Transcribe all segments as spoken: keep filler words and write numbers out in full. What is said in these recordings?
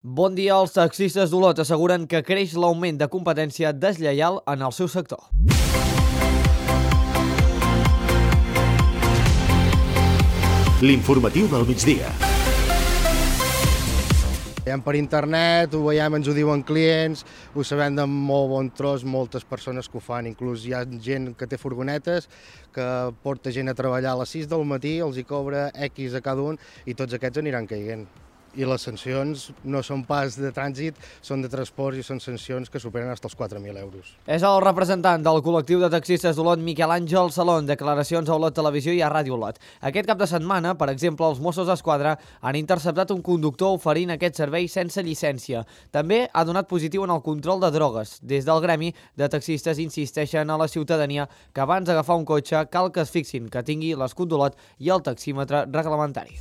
Bon dia. Els taxistes d'Olot asseguren que creix l'augment de competència deslleial en el seu sector. L'informatiu del migdia. Veiem per internet, ho veiem, ens ho diuen clients, ho sabem de molt bon tros, moltes persones que ho fan, inclús hi ha gent que té furgonetes, que porta gent a treballar a les sis del matí, els hi cobra X a cada un i tots aquests aniran caient. I les sancions no són pas de trànsit, són de transport i són sancions que superen fins als quatre mil euros. És el representant del col·lectiu de taxistes d'Olot, Miquel Àngel Salón, declaracions a Olot Televisió i a Ràdio Olot. Aquest cap de setmana, per exemple, els Mossos d'Esquadra han interceptat un conductor oferint aquest servei sense llicència. També ha donat positiu en el control de drogues. Des del gremi de taxistes insisteixen a la ciutadania que abans d'agafar un cotxe cal que es fixin que tingui l'escut d'Olot i el taxímetre reglamentari.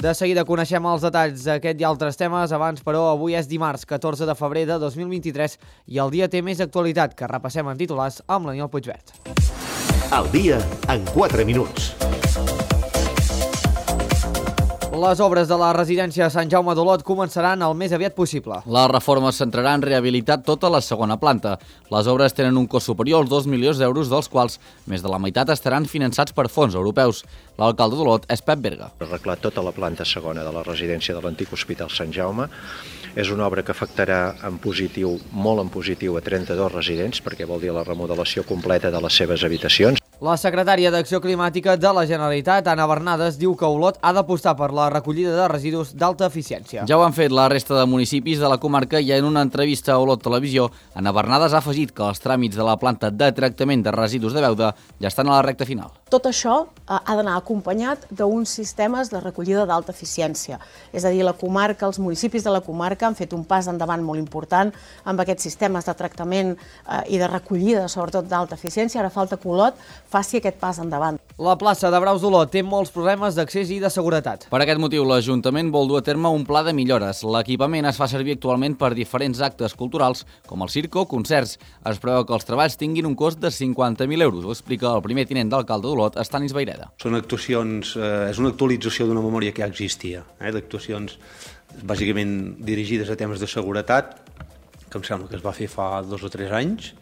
De seguida coneixem els detalls d'aquest i altres temes. Abans, però, avui és dimarts, catorze de febrer de dos mil vint-i-tres i el dia té més actualitat, que repassem en titulars amb l'Aniol Puigvert. El dia en quatre minuts. Les obres de la residència Sant Jaume d'Olot començaran el més aviat possible. La reforma es centrarà en rehabilitar tota la segona planta. Les obres tenen un cost superior als dos milions d'euros, dels quals més de la meitat estaran finançats per fons europeus. L'alcalde d'Olot és Pep Berga. Arreglar tota la planta segona de la residència de l'antic Hospital Sant Jaume és una obra que afectarà en positiu, molt en positiu, a trenta-dos residents, perquè vol dir la remodelació completa de les seves habitacions. La secretària d'Acció Climàtica de la Generalitat, Anna Bernades, diu que Olot ha d'apostar per la recollida de residus d'alta eficiència. Ja ho han fet la resta de municipis de la comarca i en una entrevista a Olot Televisió, Anna Bernades ha afegit que els tràmits de la planta de tractament de residus de Beuda ja estan a la recta final. Tot això ha d'anar acompanyat d'uns sistemes de recollida d'alta eficiència. És a dir, la comarca, els municipis de la comarca han fet un pas endavant molt important amb aquests sistemes de tractament i de recollida, sobretot d'alta eficiència. Ara falta que Olot faci aquest pas endavant. La plaça de Braus d'Olot té molts problemes d'accés i de seguretat. Per aquest motiu, l'Ajuntament vol dur a terme un pla de millores. L'equipament es fa servir actualment per diferents actes culturals, com el circ o concerts. Es preveu que els treballs tinguin un cost de cinquanta mil euros, ho explica el primer tinent d'alcalde d'Olot, Estanis Vaireda. Són actuacions, eh, és una actualització d'una memòria que ja existia, eh, d'actuacions bàsicament dirigides a temes de seguretat, que em sembla que es va fer fa dos o tres anys,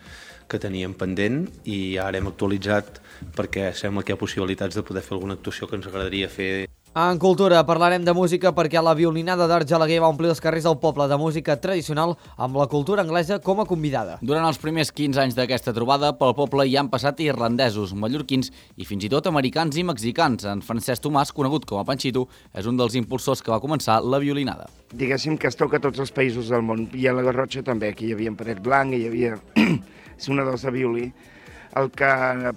que teníem pendent i ara hem actualitzat perquè sembla que hi ha possibilitats de poder fer alguna actuació que ens agradaria fer. En cultura parlarem de música perquè la violinada d'Argelaguer va omplir els carrers del poble de música tradicional amb la cultura anglesa com a convidada. Durant els primers quinze anys d'aquesta trobada, pel poble hi han passat irlandesos, mallorquins i fins i tot americans i mexicans. En Francesc Tomàs, conegut com a Panchito, és un dels impulsors que va començar la violinada. Diguéssim que es toca a tots els països del món. I a la Garrotxa també, aquí hi havia en Paret Blanc, hi havia sonadors de violí. El que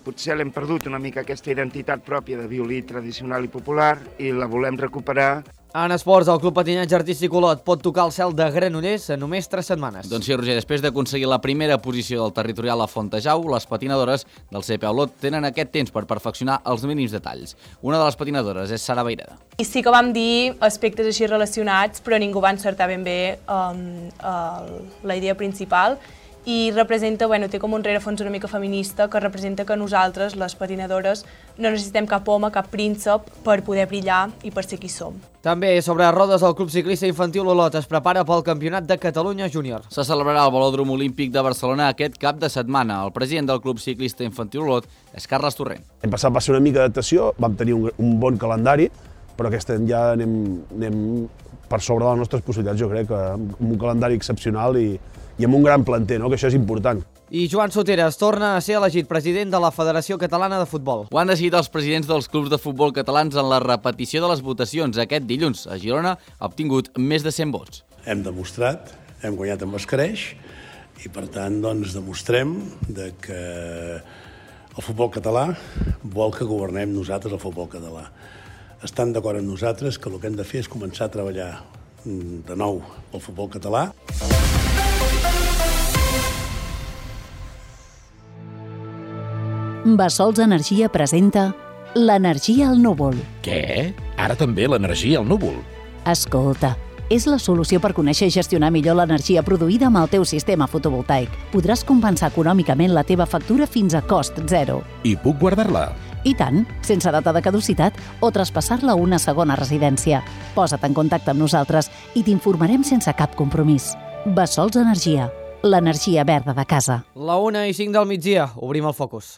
potser l'hem perdut una mica aquesta identitat pròpia de violí tradicional i popular i la volem recuperar. En esports, el Club Patinatge Artístic Olot pot tocar el cel de Granollers en només tres setmanes. Doncs sí, Roger, després d'aconseguir la primera posició del territorial a Fontejau, les patinadores del C P A Olot tenen aquest temps per perfeccionar els mínims detalls. Una de les patinadores és Sara Vaireda. I sí que vam dir aspectes així relacionats, però ningú va encertar ben bé um, uh, la idea principal. I representa, bueno, té com un rerefons una mica feminista que representa que nosaltres, les patinadores, no necessitem cap home, cap príncep per poder brillar i per ser qui som. També sobre rodes, el Club Ciclista Infantil Olot es prepara pel Campionat de Catalunya Júnior. Se celebrarà al Velòdrom Olímpic de Barcelona aquest cap de setmana. El president del Club Ciclista Infantil Olot és Carles Torrent. L'any passat va ser una mica d'adaptació, vam tenir un, un bon calendari, però aquest any ja anem, anem per sobre de les nostres possibilitats, jo crec, amb un calendari excepcional i i amb un gran planter, no? Que això és important. I Joan Soteras torna a ser elegit president de la Federació Catalana de Futbol. Ho han decidit els presidents dels clubs de futbol catalans en la repetició de les votacions. Aquest dilluns a Girona ha obtingut més de cent vots. Hem demostrat, hem guanyat amb escreix i per tant doncs demostrem de que el futbol català vol que governem nosaltres el futbol català. Estan d'acord amb nosaltres que el que hem de fer és començar a treballar de nou el futbol català. Bassols Energia presenta l'energia al núvol. Què? Ara també l'energia al núvol? Escolta, és la solució per conèixer i gestionar millor l'energia produïda amb el teu sistema fotovoltaic. Podràs compensar econòmicament la teva factura fins a cost zero. I puc guardar-la? I tant, sense data de caducitat o traspassar-la a una segona residència. Posa't en contacte amb nosaltres i t'informarem sense cap compromís. Bessols Energia, l'energia verda de casa. La una i cinc del migdia, obrim el focus.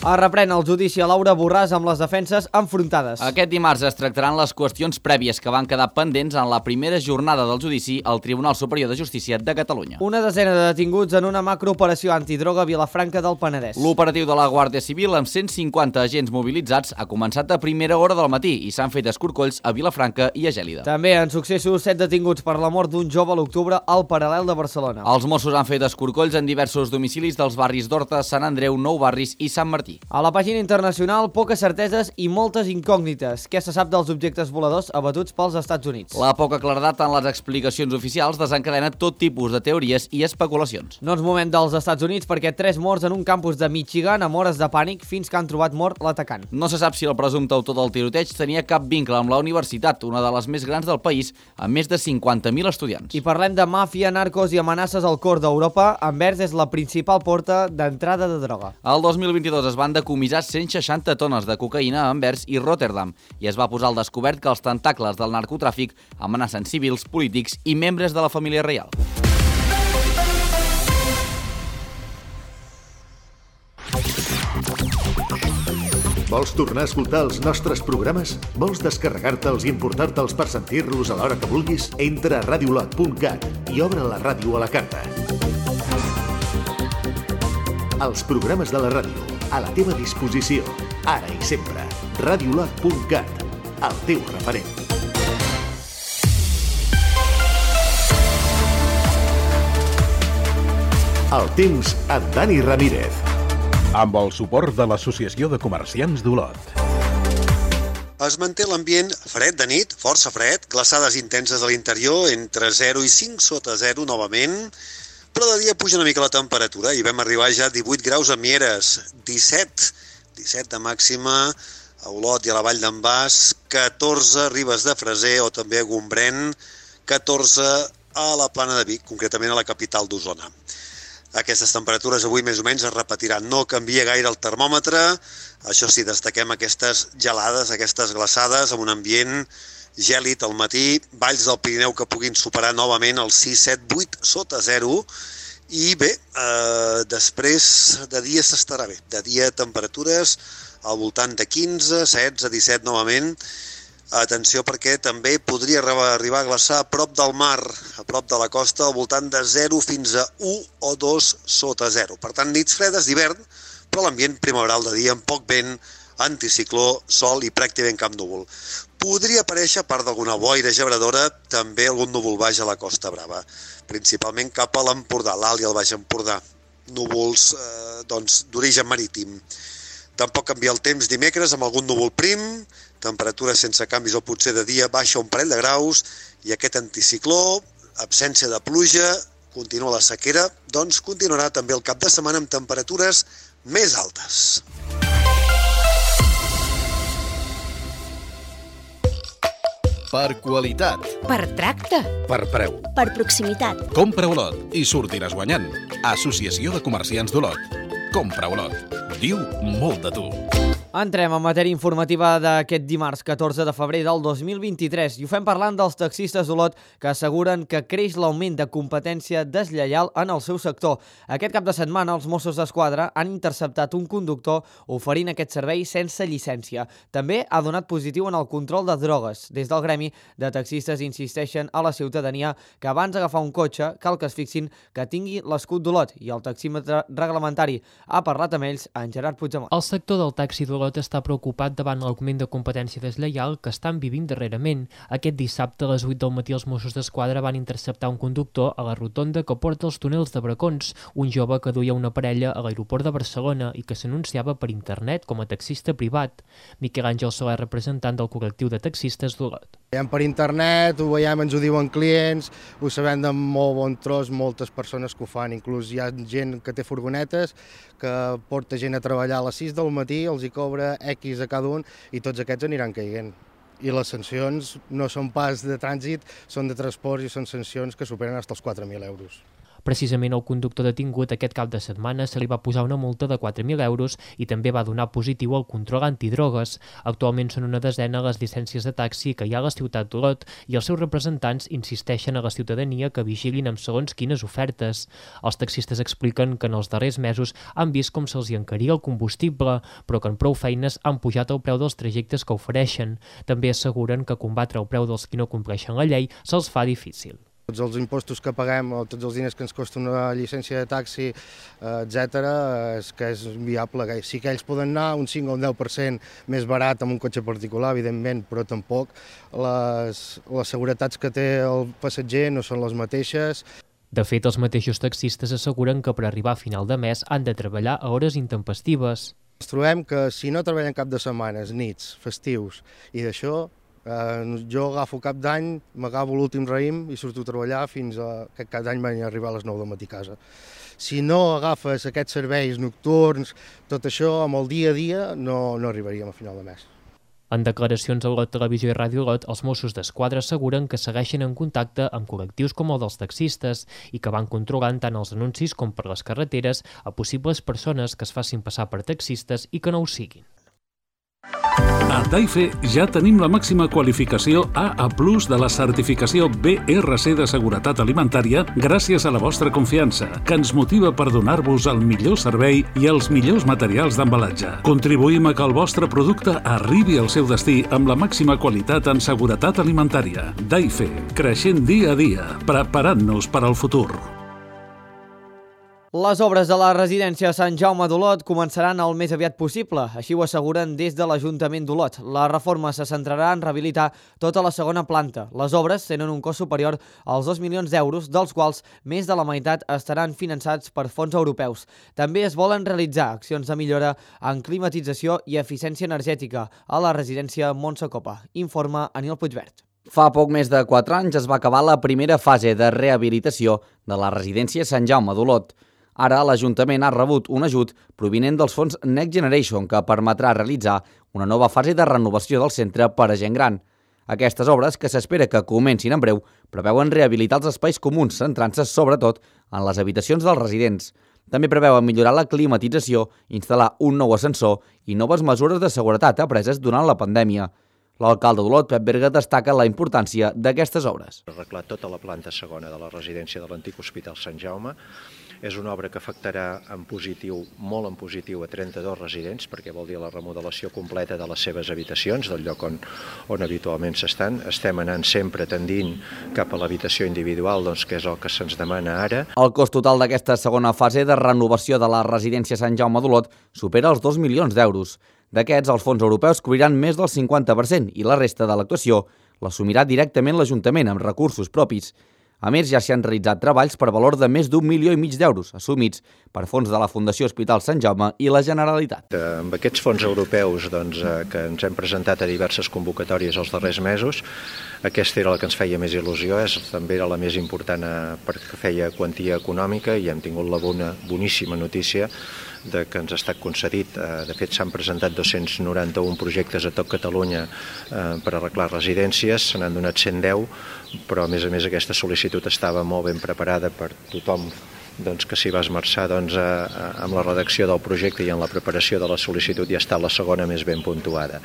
Es reprèn el judici a Laura Borràs amb les defenses enfrontades. Aquest dimarts es tractaran les qüestions prèvies que van quedar pendents en la primera jornada del judici al Tribunal Superior de Justícia de Catalunya. Una desena de detinguts en una macrooperació antidroga a Vilafranca del Penedès. L'operatiu de la Guàrdia Civil amb cent cinquanta agents mobilitzats ha començat a primera hora del matí i s'han fet escorcolls a Vilafranca i a Gèlida. També en successos set detinguts per la mort d'un jove a l'octubre al Paral·lel de Barcelona. Els Mossos han fet escorcolls en diversos domicilis dels barris d'Horta, Sant Andreu, Nou Barris i Sant Martí. A la pàgina internacional, poques certeses i moltes incògnites. Què se sap dels objectes voladors abatuts pels Estats Units? La poca claredat en les explicacions oficials desencadena tot tipus de teories i especulacions. No ens movem dels Estats Units perquè tres morts en un campus de Michigan amb hores de pànic fins que han trobat mort l'atacant. No se sap si el presumpte autor del tiroteig tenia cap vincle amb la universitat, una de les més grans del país, amb més de cinquanta mil estudiants. I parlem de màfia, narcos i amenaces al cor d'Europa. Anvers és la principal porta d'entrada de droga. El dos mil vint-i-dos es van decomissar cent seixanta tones de cocaïna a Anvers i Rotterdam i es va posar al descobert que els tentacles del narcotràfic amenacen civils, polítics i membres de la família reial. Vols tornar a escoltar els nostres programes? Vols descarregar-te'ls i importar-te'ls per sentir-los a l'hora que vulguis? Entra a radiolot punt cat i obre la ràdio a la carta. Els programes de la ràdio, a la teva disposició, ara i sempre. radiolot punt cat, el teu referent. El temps amb Dani Ramírez. Amb el suport de l'Associació de Comerciants d'Olot. Es manté l'ambient fred de nit, força fred, glaçades intenses a l'interior, entre zero i cinc sota zero novament, però de dia puja una mica la temperatura i vam arribar ja a divuit graus a Mieres, disset, disset de màxima a Olot i a la Vall d'en Bas, catorze a Ribes de Freser o també a Gombrèn, catorze a la Plana de Vic, concretament a la capital d'Osona. Aquestes temperatures avui més o menys es repetiran, no canvia gaire el termòmetre, això sí, destaquem aquestes gelades, aquestes glaçades, amb un ambient gèlid al matí, valls del Pirineu que puguin superar novament els sis, set, vuit sota zero, i bé, eh, després de dia s'estarà bé, de dia temperatures al voltant de quinze, setze, disset novament. Atenció perquè també podria arribar a glaçar a prop del mar, a prop de la costa, al voltant de zero fins a u o dos sota zero. Per tant, nits fredes d'hivern, però l'ambient primaveral de dia amb poc vent, anticicló, sol i pràcticament cap núvol. Podria aparèixer, a part d'alguna boira gebradora, també algun núvol baix a la Costa Brava, principalment cap a l'Empordà, l'Alt i el Baix Empordà, núvols eh, doncs, d'origen marítim. Tampoc canvia el temps dimecres amb algun núvol prim, temperatures sense canvis o potser de dia baixa un parell de graus i aquest anticicló, absència de pluja, continua la sequera, doncs continuarà també el cap de setmana amb temperatures més altes. Per qualitat. Per tracte. Per preu. Per proximitat. Compra Olot i sortiràs guanyant. Associació de Comerciants d'Olot. Compra Olot. Diu molt de tu. Entrem en matèria informativa d'aquest dimarts catorze de febrer del dos mil vint-i-tres i ho fem parlant dels taxistes d'Olot que asseguren que creix l'augment de competència deslleial en el seu sector. Aquest cap de setmana els Mossos d'Esquadra han interceptat un conductor oferint aquest servei sense llicència. També ha donat positiu en el control de drogues. Des del gremi de taxistes insisteixen a la ciutadania que abans d'agafar un cotxe cal que es fixin que tingui l'escut d'Olot i el taxímetre reglamentari. Ha parlat amb ells en Gerard Puigdemont. El sector del taxi d'Olot Olot està preocupat davant l'augment de competència deslleial que estan vivint darrerament. Aquest dissabte a les vuit del matí els Mossos d'Esquadra van interceptar un conductor a la rotonda que porta els túnels de Bracons, un jove que duia una parella a l'aeroport de Barcelona i que s'anunciava per internet com a taxista privat. Miquel Àngel Soler, representant del col·lectiu de taxistes d'Olot. Veiem per internet, ho veiem, ens ho diuen clients, ho sabem de molt bon tros, moltes persones que ho fan, inclús hi ha gent que té furgonetes, que porta gent a treballar a les sis del matí, els hi cobra X a cada un i tots aquests aniran caient. I les sancions no són pas de trànsit, són de transport i són sancions que superen fins als quatre mil euros. Precisament el conductor detingut aquest cap de setmana se li va posar una multa de quatre mil euros i també va donar positiu al control antidrogues. Actualment són una desena les llicències de taxi que hi ha a la ciutat d'Olot i els seus representants insisteixen a la ciutadania que vigilin amb segons quines ofertes. Els taxistes expliquen que en els darrers mesos han vist com se'ls hi encaria el combustible, però que en prou feines han pujat el preu dels trajectes que ofereixen. També asseguren que combatre el preu dels qui no compleixen la llei se'ls fa difícil. Tots els impostos que paguem o tots els diners que ens costa una llicència de taxi, etcètera, és que és inviable. Sí que ells poden anar un cinc o un deu per cent més barat amb un cotxe particular, evidentment, però tampoc les, les seguretats que té el passatger no són les mateixes. De fet, els mateixos taxistes asseguren que per arribar a final de mes han de treballar a hores intempestives. Ens trobem que si no treballem cap de setmanes, nits, festius i d'això, Eh, jo agafo cap d'any, m'agafo l'últim raïm i surto a treballar fins a que cada any vaig arribar a les nou del matí a casa. Si no agafes aquests serveis nocturns, tot això, amb el dia a dia, no, no arribaríem a final de mes. En declaracions a Olot Televisió i Ràdio Olot, els Mossos d'Esquadra asseguren que segueixen en contacte amb col·lectius com el dels taxistes i que van controlant tant els anuncis com per les carreteres a possibles persones que es facin passar per taxistes i que no ho siguin. A Daife ja tenim la màxima qualificació A A plus de la certificació B R C de seguretat alimentària gràcies a la vostra confiança, que ens motiva per donar-vos el millor servei i els millors materials d'embalatge. Contribuïm a que el vostre producte arribi al seu destí amb la màxima qualitat en seguretat alimentària. Daife, creixent dia a dia, preparant-nos per al futur. Les obres de la residència Sant Jaume d'Olot començaran el més aviat possible, així ho asseguren des de l'Ajuntament d'Olot. La reforma se centrarà en rehabilitar tota la segona planta. Les obres tenen un cost superior als dos milions d'euros, dels quals més de la meitat estaran finançats per fons europeus. També es volen realitzar accions de millora en climatització i eficiència energètica a la residència Montse Copa. Informa Aniol Puigvert. Fa poc més de quatre anys es va acabar la primera fase de rehabilitació de la residència Sant Jaume d'Olot. Ara l'Ajuntament ha rebut un ajut provinent dels fons Next Generation que permetrà realitzar una nova fase de renovació del centre per a gent gran. Aquestes obres, que s'espera que comencin en breu, preveuen rehabilitar els espais comuns, centrant-se sobretot en les habitacions dels residents. També preveuen millorar la climatització, instal·lar un nou ascensor i noves mesures de seguretat apreses durant la pandèmia. L'alcalde d'Olot, Pep Berga, destaca la importància d'aquestes obres. Arreglar tota la planta segona de la residència de l'antic Hospital Sant Jaume. És una obra que afectarà en positiu, molt en positiu, a trenta-dos residents, perquè vol dir la remodelació completa de les seves habitacions, del lloc on, on habitualment s'estan. Estem anant sempre tendint cap a l'habitació individual, doncs, que és el que se'ns demana ara. El cost total d'aquesta segona fase de renovació de la residència Sant Jaume d'Olot supera els dos milions d'euros. D'aquests, els fons europeus cobriran més del cinquanta per cent i la resta de l'actuació l'assumirà directament l'Ajuntament amb recursos propis. A més, ja s'hi han realitzat treballs per valor de més d'un milió i mig d'euros, assumits per fons de la Fundació Hospital Sant Jaume i la Generalitat. Amb aquests fons europeus doncs, que ens hem presentat a diverses convocatòries els darrers mesos, aquesta era la que ens feia més il·lusió, és, també era la més important perquè feia quantia econòmica i hem tingut la bona, boníssima notícia de que ens ha estat concedit. De fet, s'han presentat dos-cents noranta-un projectes a tot Catalunya per arreglar residències, se n'han donat cent deu, però a més a més aquesta sol·licitud estava molt ben preparada per tothom doncs, que s'hi va esmerçar doncs, a, a, amb la redacció del projecte i en la preparació de la sol·licitud, i ha estat la segona més ben puntuada.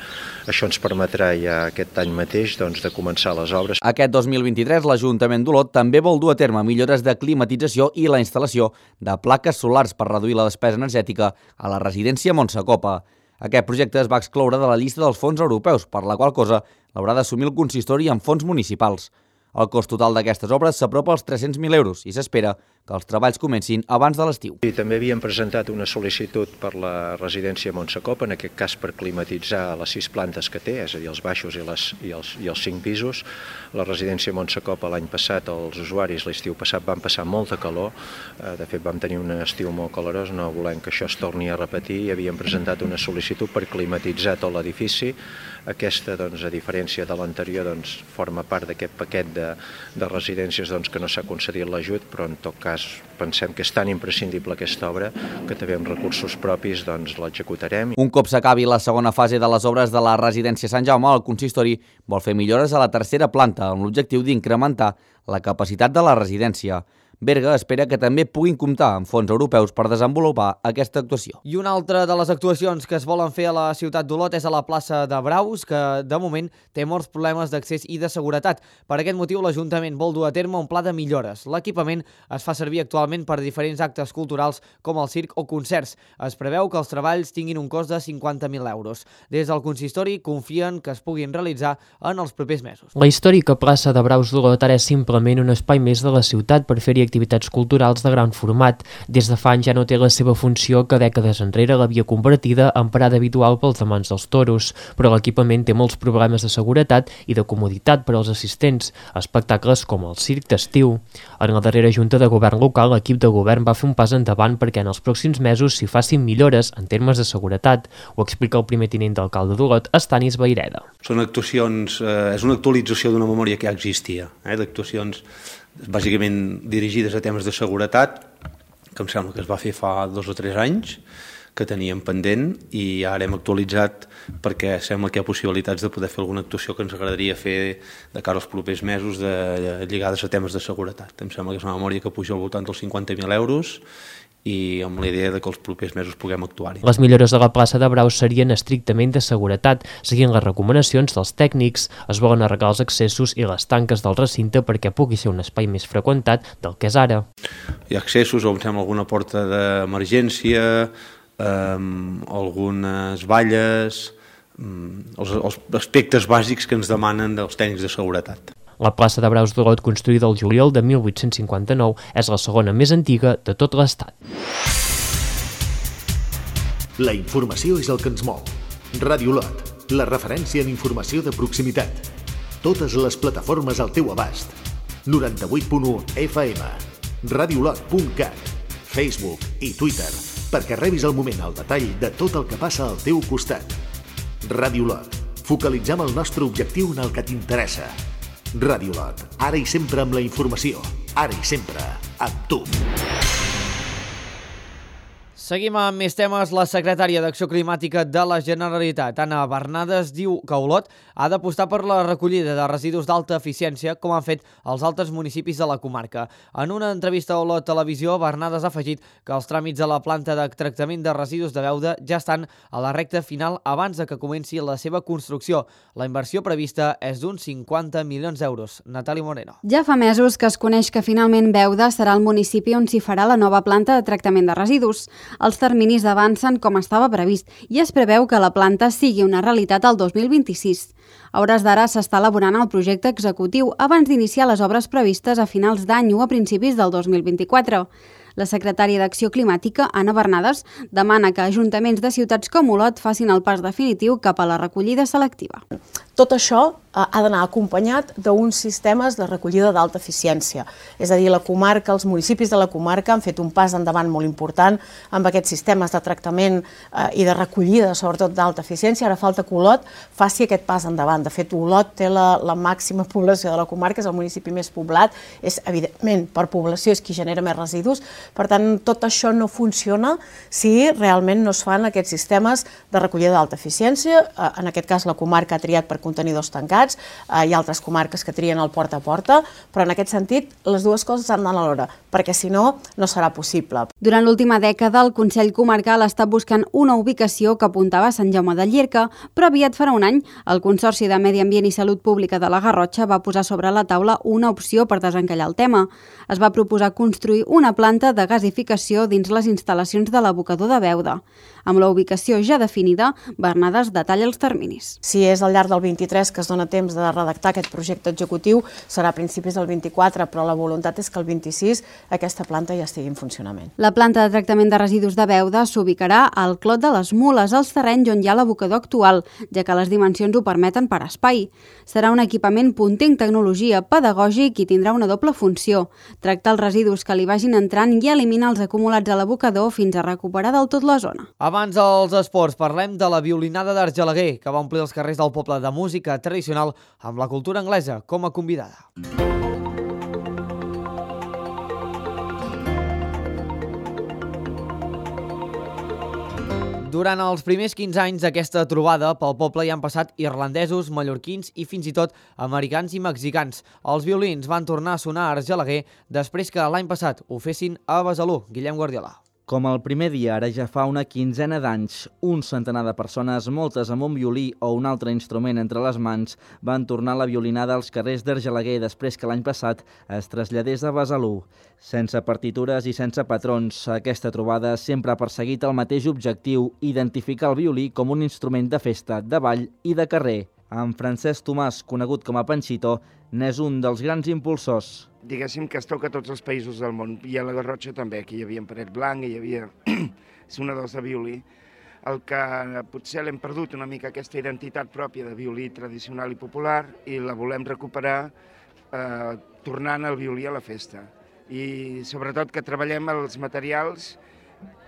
Això ens permetrà ja aquest any mateix doncs, de començar les obres. Aquest dos mil vint-i-tres l'Ajuntament d'Olot també vol dur a terme millores de climatització i la instal·lació de plaques solars per reduir la despesa energètica a la residència Montse Copa. Aquest projecte es va excloure de la llista dels fons europeus, per la qual cosa l'haurà d'assumir el consistori amb fons municipals. El cost total d'aquestes obres s'apropa als tres-cents mil euros i s'espera que els treballs comencin abans de l'estiu. I també havíem presentat una sol·licitud per la residència Montsecop, en aquest cas per climatitzar les sis plantes que té, és a dir, els baixos i, les, i, els, i els cinc pisos. La residència Montsecop l'any passat, els usuaris l'estiu passat van passar molta calor, de fet vam tenir un estiu molt calorós, no volem que això es torni a repetir i havíem presentat una sol·licitud per climatitzar tot l'edifici. Aquesta, doncs, a diferència de l'anterior, doncs, forma part d'aquest paquet de, de residències doncs, que no s'ha concedit l'ajut, però en tot cas pensem que és tan imprescindible aquesta obra que també amb recursos propis doncs, l'executarem. Un cop s'acabi la segona fase de les obres de la residència Sant Jaume, el consistori vol fer millores a la tercera planta amb l'objectiu d'incrementar la capacitat de la residència. Berga espera que també puguin comptar amb fons europeus per desenvolupar aquesta actuació. I una altra de les actuacions que es volen fer a la ciutat d'Olot és a la plaça de Braus, que de moment té molts problemes d'accés i de seguretat. Per aquest motiu, l'Ajuntament vol dur a terme un pla de millores. L'equipament es fa servir actualment per diferents actes culturals com el circ o concerts. Es preveu que els treballs tinguin un cost de cinquanta mil euros. Des del consistori confien que es puguin realitzar en els propers mesos. La històrica plaça de Braus d'Olot ara és simplement un espai més de la ciutat per fer-hi activitats culturals de gran format. Des de fa anys ja no té la seva funció que dècades enrere l'havia convertida en parada habitual pels amants dels toros, però l'equipament té molts problemes de seguretat i de comoditat per als assistents, espectacles com el circ d'estiu. En la darrera junta de govern local, l'equip de govern va fer un pas endavant perquè en els pròxims mesos s'hi facin millores en termes de seguretat. Ho explica el primer tinent d'alcalde d'Olot, Estanis Vaireda. Són actuacions, eh, és una actualització d'una memòria que ja existia, eh, d'actuacions bàsicament dirigides a temes de seguretat, que em sembla que es va fer fa dos o tres anys, que teníem pendent i ara hem actualitzat perquè sembla que hi ha possibilitats de poder fer alguna actuació que ens agradaria fer de cara als propers mesos de, lligades a temes de seguretat. Em sembla que és una memòria que puja al voltant dels cinquanta mil euros i amb la idea de que els propers mesos puguem actuar-hi. Les millores de la plaça de Braus serien estrictament de seguretat, seguint les recomanacions dels tècnics. Es volen arreglar els accessos i les tanques del recinte perquè pugui ser un espai més freqüentat del que és ara. Hi ha accessos, o em sembla alguna porta d'emergència, eh, algunes valles, eh, els, els aspectes bàsics que ens demanen dels tècnics de seguretat. La plaça de Braus d'Olot, construïda el juliol de mil vuit-cents cinquanta-nou, és la segona més antiga de tot l'Estat. La informació és el que ens mou. Ràdio Olot, la referència en informació de proximitat. Totes les plataformes al teu abast. noranta-vuit punt u F M, radiolot punt cat, Facebook i Twitter, perquè rebis al moment el detall de tot el que passa al teu costat. Ràdio Olot, focalitzem el nostre objectiu en el que t'interessa. Ràdio Olot, ara i sempre amb la informació, ara i sempre amb tu. Seguim amb més temes. La secretària d'Acció Climàtica de la Generalitat, Anna Bernades, diu que Olot ha d'apostar per la recollida de residus d'alta eficiència, com han fet els altres municipis de la comarca. En una entrevista a Olot Televisió, Bernades ha afegit que els tràmits de la planta de tractament de residus de Beuda ja estan a la recta final abans de que comenci la seva construcció. La inversió prevista és d'uns cinquanta milions d'euros. Natàlia Moreno. Ja fa mesos que es coneix que finalment Beuda serà el municipi on s'hi farà la nova planta de tractament de residus. Els terminis avancen com estava previst i es preveu que la planta sigui una realitat el dos mil vint-i-sis. A hores d'ara s'està elaborant el projecte executiu abans d'iniciar les obres previstes a finals d'any o a principis del dos mil vint-i-quatre. La secretària d'Acció Climàtica, Anna Bernades, demana que ajuntaments de ciutats com Olot facin el pas definitiu cap a la recollida selectiva. Tot això ha d'anar acompanyat d'uns sistemes de recollida d'alta eficiència. És a dir, la comarca, els municipis de la comarca han fet un pas endavant molt important amb aquests sistemes de tractament i de recollida, sobretot d'alta eficiència. Ara falta que Olot faci aquest pas endavant. De fet, Olot té la, la màxima població de la comarca, és el municipi més poblat, és, evidentment, per població és qui genera més residus. Per tant, tot això no funciona si realment no es fan aquests sistemes de recollida d'alta eficiència. En aquest cas, la comarca ha triat per contenidors tancats, hi ha altres comarques que trien el porta a porta, però en aquest sentit les dues coses han d'anar alhora, perquè si no, no serà possible. Durant l'última dècada, el Consell Comarcal ha estat buscant una ubicació que apuntava a Sant Jaume de Llierca, però aviat farà un any, el Consorci de Medi Ambient i Salut Pública de la Garrotxa va posar sobre la taula una opció per desencallar el tema. Es va proposar construir una planta de gasificació dins les instal·lacions de l'abocador de Beuda. Amb la ubicació ja definida, Bernades detalla els terminis. Si és al llarg del vint-i-tres, que es dona temps de redactar aquest projecte executiu, serà a principis del vint-i-quatre, però la voluntat és que el vint-i-sis aquesta planta ja estigui en funcionament. La planta de tractament de residus de Beuda s'ubicarà al Clot de les Mules, als terrenys on hi ha l'abocador actual, ja que les dimensions ho permeten per espai. Serà un equipament punter en tecnologia, pedagògic i tindrà una doble funció: tractar els residus que li vagin entrant i eliminar els acumulats a l'abocador fins a recuperar del tot la zona. Abans dels esports, parlem de la violinada d'Argelaguer, que va omplir els carrers del poble de música tradicional amb la cultura anglesa com a convidada. Durant els primers quinze anys d'aquesta trobada, pel poble hi han passat irlandesos, mallorquins i fins i tot americans i mexicans. Els violins van tornar a sonar a Argelaguer després que l'any passat ho fessin a Besalú. Guillem Guardiola. Com el primer dia, ara ja fa una quinzena d'anys, un centenar de persones, moltes amb un violí o un altre instrument entre les mans, van tornar la violinada als carrers d'Argelaguer després que l'any passat es traslladés a Besalú. Sense partitures i sense patrons, aquesta trobada sempre ha perseguit el mateix objectiu: identificar el violí com un instrument de festa, de ball i de carrer. En Francesc Tomàs, conegut com a Panxito, n'és un dels grans impulsors. Diguéssim que es toca a tots els països del món, i a la Garrotxa també, aquí hi havia en Paret Blanc, hi havia sonadors de violí. El que potser l'hem perdut una mica aquesta identitat pròpia de violí tradicional i popular, i la volem recuperar eh, tornant el violí a la festa. I sobretot que treballem els materials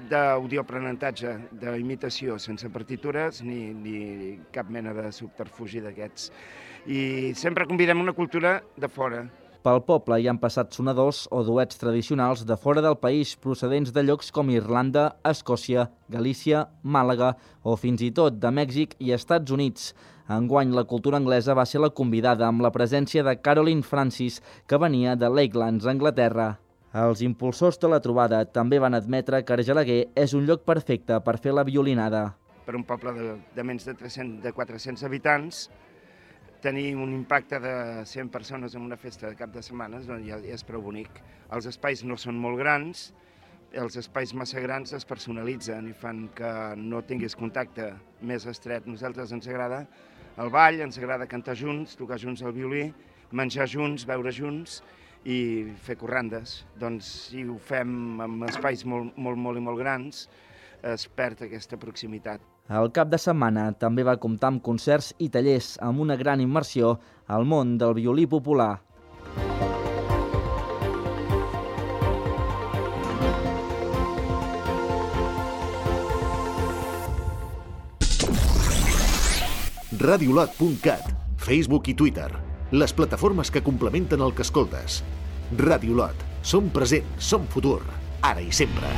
d'audioaprenentatge, d'imitació, sense partitures ni, ni cap mena de subterfugi d'aquests. I sempre convidem una cultura de fora. Pel poble hi han passat sonadors o duets tradicionals de fora del país, procedents de llocs com Irlanda, Escòcia, Galícia, Màlaga o fins i tot de Mèxic i Estats Units. Enguany, la cultura anglesa va ser la convidada amb la presència de Caroline Francis, que venia de Lakelands, Anglaterra. Els impulsors de la trobada també van admetre que Argelaguer és un lloc perfecte per fer la violinada. Per un poble de, de menys de, tres-cents, de quatre-cents habitants, tenir un impacte de cent persones en una festa de cap de setmana doncs ja, ja és prou bonic. Els espais no són molt grans, els espais massa grans es personalitzen i fan que no tinguis contacte més estret. Nosaltres ens agrada el ball, ens agrada cantar junts, tocar junts el violí, menjar junts, beure junts i fer corrandes. Doncs si ho fem en espais molt, molt, molt i molt grans, es perd aquesta proximitat. El cap de setmana també va comptar amb concerts i tallers amb una gran immersió al món del violí popular. radiolot punt cat, Facebook i Twitter, les plataformes que complementen el que escoltes. Radiolot, som present, som futur, ara i sempre.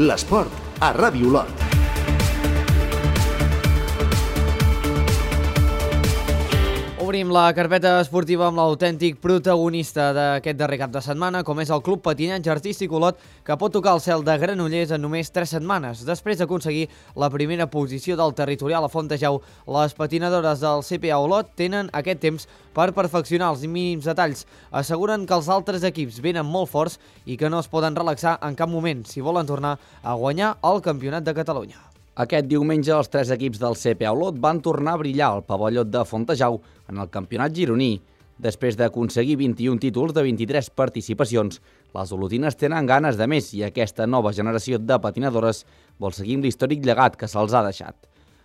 L'esport a Radiolot. Obrim la carpeta esportiva amb l'autèntic protagonista d'aquest darrer cap de setmana, com és el Club Patinatge Artístic Olot, que pot tocar el cel de Granollers en només tres setmanes. Després d'aconseguir la primera posició del territorial a Fontejau, les patinadores del C P A Olot tenen aquest temps per perfeccionar els mínims detalls. Asseguren que els altres equips venen molt forts i que no es poden relaxar en cap moment si volen tornar a guanyar el Campionat de Catalunya. Aquest diumenge els tres equips del C P A Olot van tornar a brillar al pavelló de Fontejau en el campionat gironí. Després d'aconseguir vint-i-un títols de vint-i-tres participacions, les olotines tenen ganes de més i aquesta nova generació de patinadores vol seguir amb l'històric llegat que se'ls ha deixat.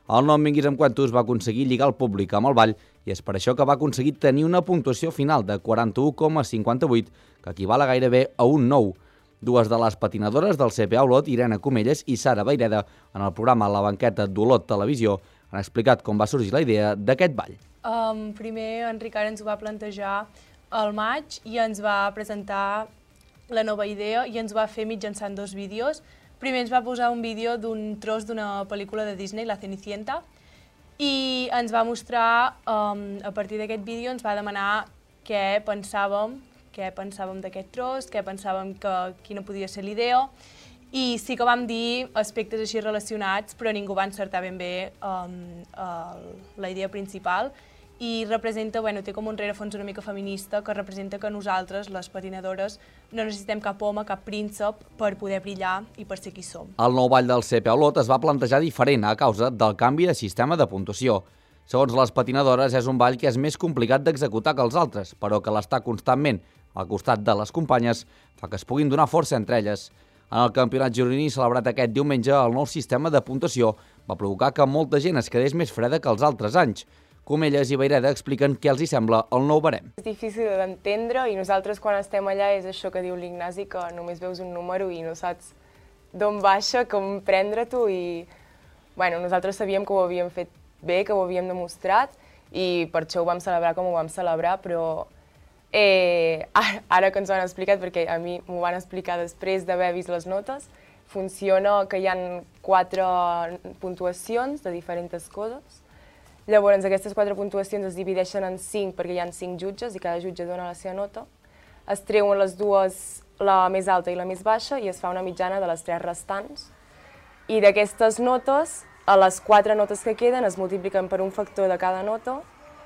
El nom Vinguis amb Quantos va aconseguir lligar el públic amb el ball i és per això que va aconseguir tenir una puntuació final de quaranta-u coma cinquanta-vuit, que equival a gairebé a un nou. Dues de les patinadores del C P A Olot, Irene Comelles i Sara Baireda, en el programa La Banqueta d'Olot Televisió, han explicat com va sorgir la idea d'aquest ball. Um, primer, en Ricard ens ho va plantejar al maig i ens va presentar la nova idea i ens va fer mitjançant dos vídeos. Primer ens va posar un vídeo d'un tros d'una pel·lícula de Disney, La Cenicienta, i ens va mostrar, um, a partir d'aquest vídeo, ens va demanar què pensàvem, què pensàvem d'aquest tros, què pensàvem que quina podia ser l'idea, i sí que vam dir aspectes així relacionats, però ningú va encertar ben bé um, el, la idea principal, i representa, bueno, té com un rerefons una mica feminista que representa que nosaltres, les patinadores, no necessitem cap home, cap príncep per poder brillar i per ser qui som. El nou ball del C P a Olot es va plantejar diferent a causa del canvi de sistema de puntuació. Segons les patinadores, és un ball que és més complicat d'executar que els altres, però que l'estar constantment al costat de les companyes fa que es puguin donar força entre elles. En el campionat gironí celebrat aquest diumenge, el nou sistema de puntuació va provocar que molta gent es quedés més freda que els altres anys. Comelles i Vaireda expliquen què els hi sembla el nou barem. És difícil d'entendre i nosaltres quan estem allà és això que diu l'Ignasi, que només veus un número i no saps d'on baixa, com prendre-t'ho i bueno, nosaltres sabíem que ho havíem fet bé, que ho havíem demostrat i per això ho vam celebrar com ho vam celebrar, però eh, ara que ens ho han explicat, perquè a mi m'ho van explicar després d'haver vist les notes, funciona que hi ha quatre puntuacions de diferents coses. Llavors, aquestes quatre puntuacions es divideixen en cinc perquè hi ha cinc jutges i cada jutge dona la seva nota. Es treuen les dues, la més alta i la més baixa, i es fa una mitjana de les tres restants. I d'aquestes notes, a les quatre notes que queden es multipliquen per un factor de cada nota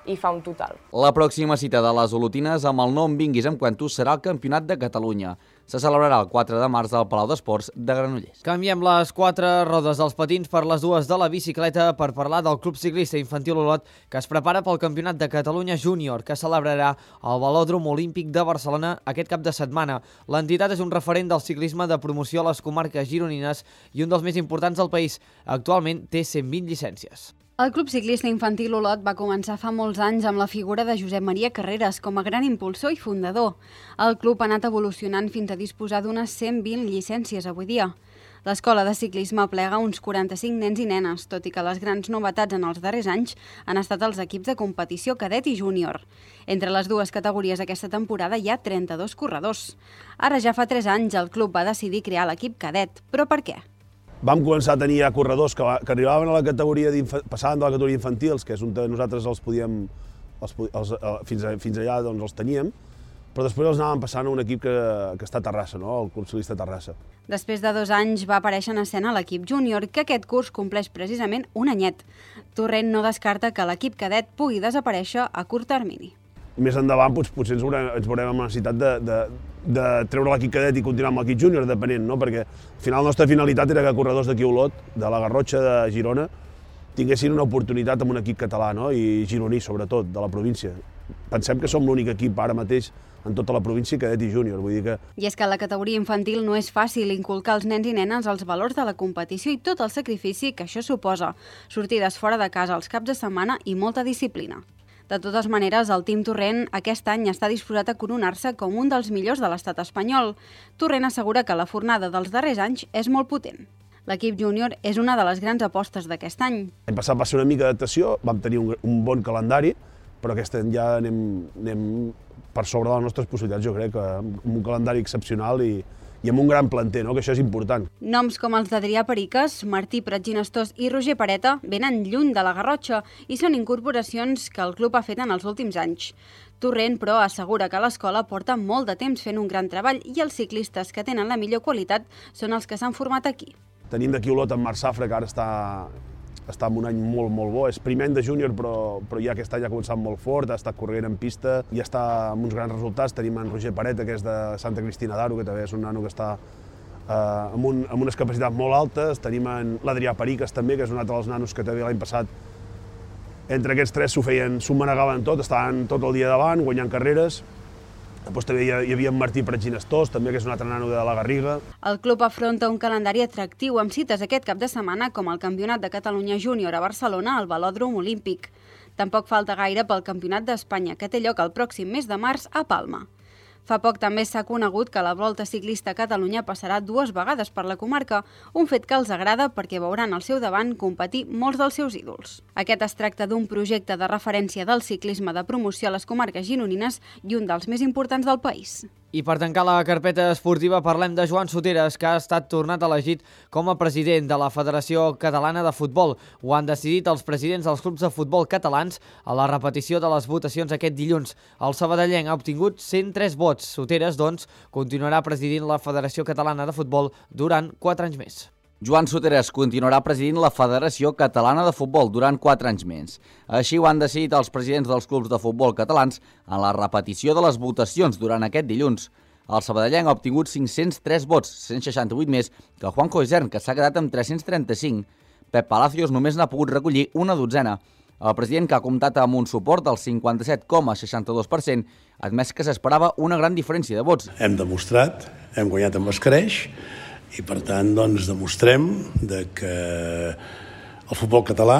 i fa un total. La pròxima cita de les olotines amb el nom Vinguis amb Cuentos serà el Campionat de Catalunya. Se celebrarà el quatre de març al Palau d'Esports de Granollers. Canviem les quatre rodes dels patins per les dues de la bicicleta per parlar del Club Ciclista Infantil Olot, que es prepara pel Campionat de Catalunya Júnior, que celebrarà al Velòdrom Olímpic de Barcelona aquest cap de setmana. L'entitat és un referent del ciclisme de promoció a les comarques gironines i un dels més importants del país. Actualment té cent vint llicències. El Club Ciclista Infantil Olot va començar fa molts anys amb la figura de Josep Maria Carreras com a gran impulsor i fundador. El club ha anat evolucionant fins a disposar d'unes cent vint llicències avui dia. L'escola de ciclisme plega uns quaranta-cinc nens i nenes, tot i que les grans novetats en els darrers anys han estat els equips de competició cadet i júnior. Entre les dues categories aquesta temporada hi ha trenta-dos corredors. Ara ja fa tres anys el club va decidir crear l'equip cadet, però per què? Vam començar a tenir ja corredors que, que arribaven a la categoria passaven de la categoria infantils, que és on nosaltres els podíem, els, els, fins, a, fins allà doncs els teníem, però després els anàvem passant a un equip que, que està a Terrassa, no? El Club Ciclista Terrassa. Després de dos anys va aparèixer en escena l'equip júnior, que aquest curs compleix precisament un anyet. Torrent no descarta que l'equip cadet pugui desaparèixer a curt termini. Més endavant doncs, potser ens veurem, ens veurem amb la necessitat de, de, de treure l'equip cadet i continuar amb l'equip júnior, depenent, no? Perquè al final la nostra finalitat era que corredors d'aquí a Olot, de la Garrotxa, de Girona, tinguessin una oportunitat amb un equip català, no? I gironí, sobretot, de la província. Pensem que som l'únic equip ara mateix en tota la província cadet i júnior, vull dir que... I és que a la categoria infantil no és fàcil inculcar als nens i nenes els valors de la competició i tot el sacrifici que això suposa, sortides fora de casa els caps de setmana i molta disciplina. De totes maneres, el Team Torrent aquest any està disposat a coronar-se com un dels millors de l'estat espanyol. Torrent assegura que la fornada dels darrers anys és molt potent. L'equip júnior és una de les grans apostes d'aquest any. L'any passat va ser una mica d'adaptació, vam tenir un, un bon calendari, però aquest any ja anem, anem per sobre de les nostres possibilitats, jo crec, amb un calendari excepcional i, i amb un gran planter, no? Que això és important. Noms com els d'Adrià Periques, Martí Pratginestós i Roger Pareta venen lluny de la Garrotxa i són incorporacions que el club ha fet en els últims anys. Torrent, però, assegura que l'escola porta molt de temps fent un gran treball i els ciclistes que tenen la millor qualitat són els que s'han format aquí. Tenim d'aquí Olot en Marc Safra, que ara està, està en un any molt, molt bo. És primer any de júnior, però, però ja aquest any ha començat molt fort, ha estat corrent en pista i està amb uns grans resultats. Tenim en Roger Pareta, que és de Santa Cristina d'Aro, que també és un nano que està eh, amb, un, amb unes capacitats molt altes. Tenim en l'Adrià Periques, també, que és un altre dels nanos que també l'any passat, entre aquests tres s'ho feien, s'ho manegaven tot, estaven tot el dia davant, guanyant carreres. Després també hi havia en Martí Pratginestós, també, que és un altre nano de la Garriga. El club afronta un calendari atractiu amb cites aquest cap de setmana com el Campionat de Catalunya Júnior a Barcelona al Velòdrom Olímpic. Tampoc falta gaire pel Campionat d'Espanya, que té lloc el pròxim mes de març a Palma. Fa poc també s'ha conegut que la Volta Ciclista a Catalunya passarà dues vegades per la comarca, un fet que els agrada perquè veuran al seu davant competir molts dels seus ídols. Aquest es tracta d'un projecte de referència del ciclisme de promoció a les comarques gironines i un dels més importants del país. I per tancar la carpeta esportiva parlem de Joan Soteres, que ha estat tornat elegit com a president de la Federació Catalana de Futbol. Ho han decidit els presidents dels clubs de futbol catalans a la repetició de les votacions aquest dilluns. El sabadellenc ha obtingut cent tres vots. Soteres, doncs, continuarà presidint la Federació Catalana de Futbol durant quatre anys més. Joan Soteras continuarà presidint la Federació Catalana de Futbol durant quatre anys més. Així ho han decidit els presidents dels clubs de futbol catalans en la repetició de les votacions durant aquest dilluns. El sabadellenc ha obtingut cinc-cents tres vots, cent seixanta-vuit més que Juanjo Isern, que s'ha quedat amb tres-cents trenta-cinc. Pep Palacios només n'ha pogut recollir una dotzena. El president, que ha comptat amb un suport del cinquanta-set coma seixanta-dos per cent, ha admès que s'esperava una gran diferència de vots. Hem demostrat, hem guanyat amb escreix, i per tant doncs, demostrem de que el futbol català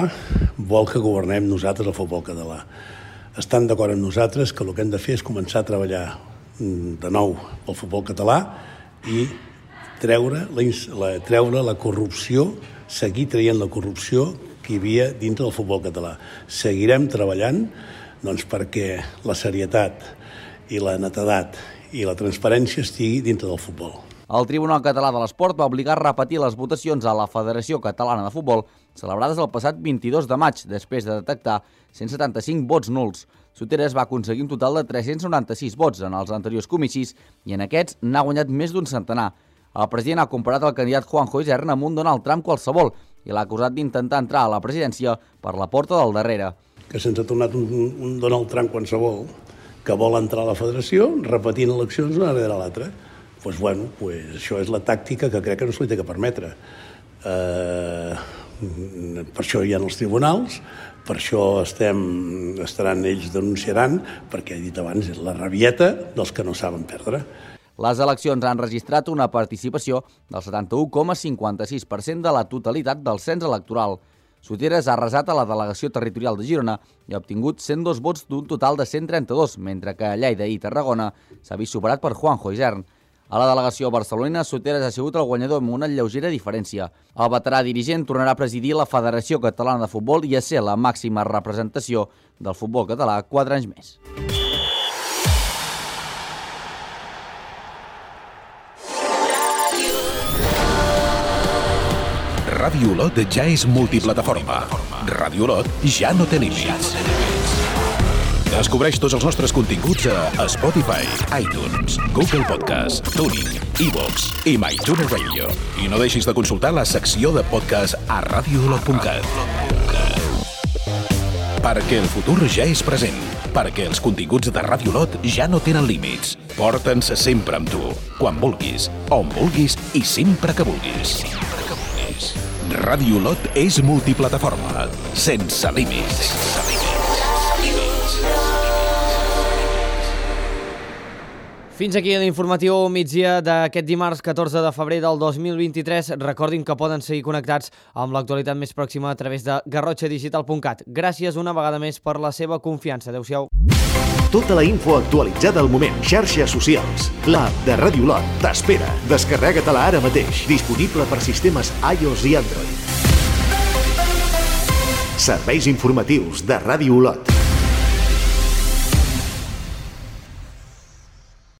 vol que governem nosaltres el futbol català. Estan d'acord amb nosaltres que el que hem de fer és començar a treballar de nou pel futbol català i treure la, la, treure la corrupció, seguir traient la corrupció que hi havia dintre del futbol català. Seguirem treballant doncs, perquè la serietat i la netedat i la transparència estigui dintre del futbol. El Tribunal Català de l'Esport va obligar a repetir les votacions a la Federació Catalana de Futbol celebrades el passat vint-i-dos de maig, després de detectar cent setanta-cinc vots nuls. Soteras va aconseguir un total de tres-cents noranta-sis vots en els anteriors comicis i en aquests n'ha guanyat més d'un centenar. El president ha comparat el candidat Juanjo Isern amb un Donald Trump qualsevol i l'ha acusat d'intentar entrar a la presidència per la porta del darrere. Que se'ns ha tornat un, un Donald Trump qualsevol que vol entrar a la federació repetint eleccions una darrere l'altra. Pues bueno, pues això és la tàctica que crec que no se li té que permetre. Eh, per això hi ha els tribunals, per això estem, estaran ells denunciaran, perquè he dit abans, és la rabieta dels que no saben perdre. Les eleccions han registrat una participació del setanta-u coma cinquanta-sis per cent de la totalitat del cens electoral. Soteras ha arrasat a la delegació territorial de Girona i ha obtingut cent dos vots d'un total de cent trenta-dos, mentre que a Lleida i Tarragona s'ha vist superat per Juanjo Isern. A la delegació barcelonina, Soteras ha sigut el guanyador amb una lleugera diferència. El veterà dirigent tornarà a presidir la Federació Catalana de Futbol i a ser la màxima representació del futbol català quatre anys més. Ràdio Olot ja és multiplataforma. Ràdio Olot ja no té límits. Descobreix tots els nostres continguts a Spotify, iTunes, Google Podcast, Tuning, iVoox i MyTuner Radio. I no deixis de consultar la secció de podcast a radio olot punt cat. Perquè el futur ja és present. Perquè els continguts de Ràdio Olot ja no tenen límits. Porta'ns sempre amb tu, quan vulguis, on vulguis i sempre que vulguis. Ràdio Olot és multiplataforma, sense límits. Fins aquí l'informatiu migdia d'aquest dimarts catorze de febrer del dos mil vint-i-tres. Recordin que poden seguir connectats amb l'actualitat més pròxima a través de garrotxa digital punt cat. Gràcies una vegada més per la seva confiança. Adéu-siau. Tota la info actualitzada al moment. Xarxes socials. L'app de Ràdio Olot t'espera. Descarrega-te-la ara mateix. Disponible per sistemes iOS i Android. Serveis informatius de Ràdio Olot.